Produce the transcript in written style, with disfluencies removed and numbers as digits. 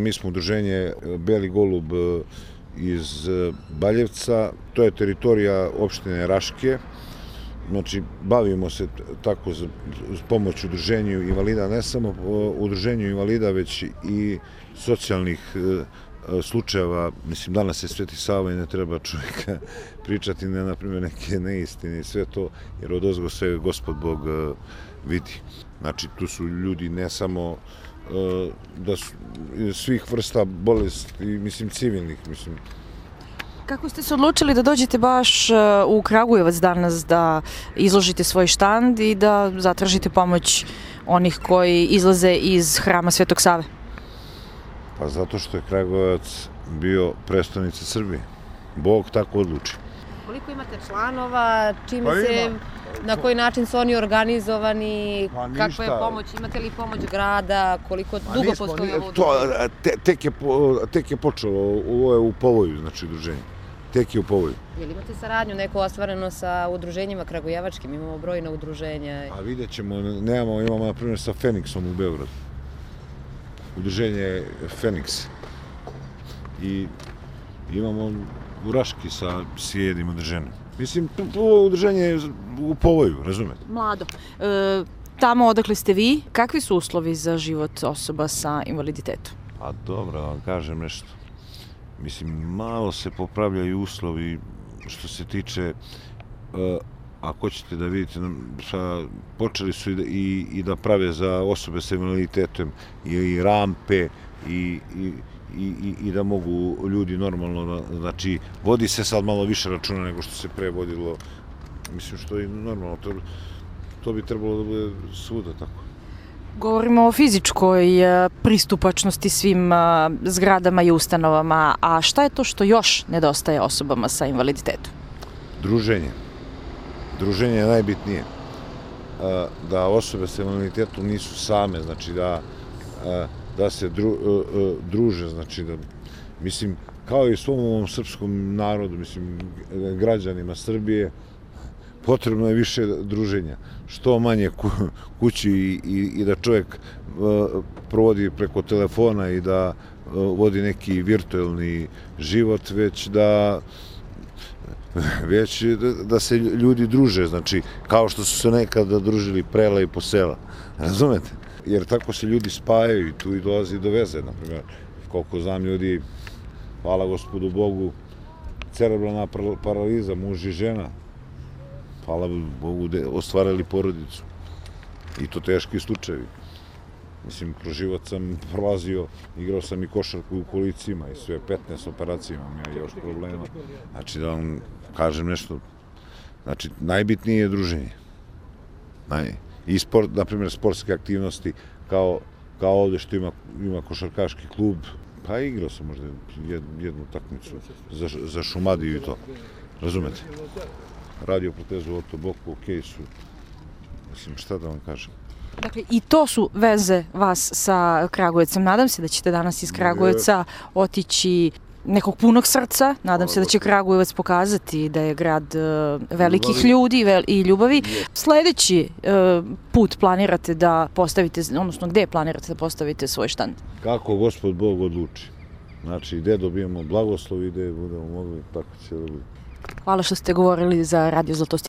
Mi smo udruženje Beli golub iz Baljevca, to je teritorija opštine Raške. Znači, bavimo se tako uz pomoć udruženju invalida, ne samo udruženju invalida, već i socijalnih slučajeva. Mislim, danas je Sveti Sava i ne treba čovjeka pričati na primjer neke neistine i sve to, jer odozgo sve Gospod Bog vidi. Znači, tu su ljudi ne samo da su svih vrsta bolesti, mislim, civilnih, mislim. Kako ste se odlučili da dođete baš u Kragujevac danas da izložite svoj štand i da zatražite pomoć onih koji izlaze iz hrama Svetog Save? Pa zato što je Kragujevac bio prestonica Srbije. Bog tako odluči. Koliko imate članova, na koji način su oni organizovani, kakva je pomoć, imate li pomoć grada, koliko dugo postoji ovo udruženje? Tek je počelo, ovo je u povoju, znači udruženje. Tek je u povoju. Jel imate saradnju neko ostvareno sa udruženjima kragujevačkim? Imamo brojna udruženja. A vidjet ćemo, imamo na primjer sa Feniksom u Beogradu. Udruženje Feniks. I imamo u Raški sa jednim udruženjem. Mislim, ovo udruženje je u povoju, razumete? Mlado. Tamo odakle ste vi, kakvi su uslovi za život osoba sa invaliditetom? Pa dobro, da vam kažem nešto. Mislim, malo se popravljaju uslovi što se tiče, ako ćete da vidite, počeli su i da prave za osobe sa invaliditetom i rampe i da mogu ljudi normalno, znači, vodi se sad malo više računa nego što se pre vodilo, mislim, što je normalno, to bi trebalo da bude svuda tako. Govorimo o fizičkoj pristupačnosti svim zgradama i ustanovama, a šta je to što još nedostaje osobama sa invaliditetom? Druženje. Druženje je najbitnije. Da osobe sa invaliditetom nisu same, znači da se druže, znači da, mislim, kao i svom ovom srpskom narodu, mislim, građanima Srbije, potrebno je više druženja, što manje kući i da čovjek provodi preko telefona i da vodi neki virtualni život, već da se ljudi druže, znači, kao što su se nekada družili prela i posela, razumete? Jer tako se ljudi spajaju i tu i dolazi do veze, na primjer, koliko znam ljudi, hvala Gospodu Bogu, cerebralna paraliza, muž i žena, hvala Bogu, ostvarili porodicu. I to teški slučajevi. Mislim, kroz život sam prolazio, igrao sam i košarku u kolicima i sve, 15 operacija imam ja još problema. Znači, da vam kažem nešto, znači, najbitnije je druženje. I sport, na primjer, sportske aktivnosti, kao ovdje što ima košarkaški klub, pa igrao sam možda jednu takmicu za Šumadiju i to, razumete? Radio protezu Oto Boku, okej su, mislim, šta da vam kažem. Dakle, i to su veze vas sa Kragujevcem. Nadam se da ćete danas iz Kragujevca otići nekog punog srca. Nadam se da će Kragujevac pokazati da je grad velikih ljudi i ljubavi. Sljedeći put planirate da postavite, odnosno gde planirate da postavite svoj štand? Kako Gospod Bog odluči. Znači, gde dobijemo blagoslov i gde budemo mogli, tako će da bude. Hvala što ste govorili za Radio Zlatost.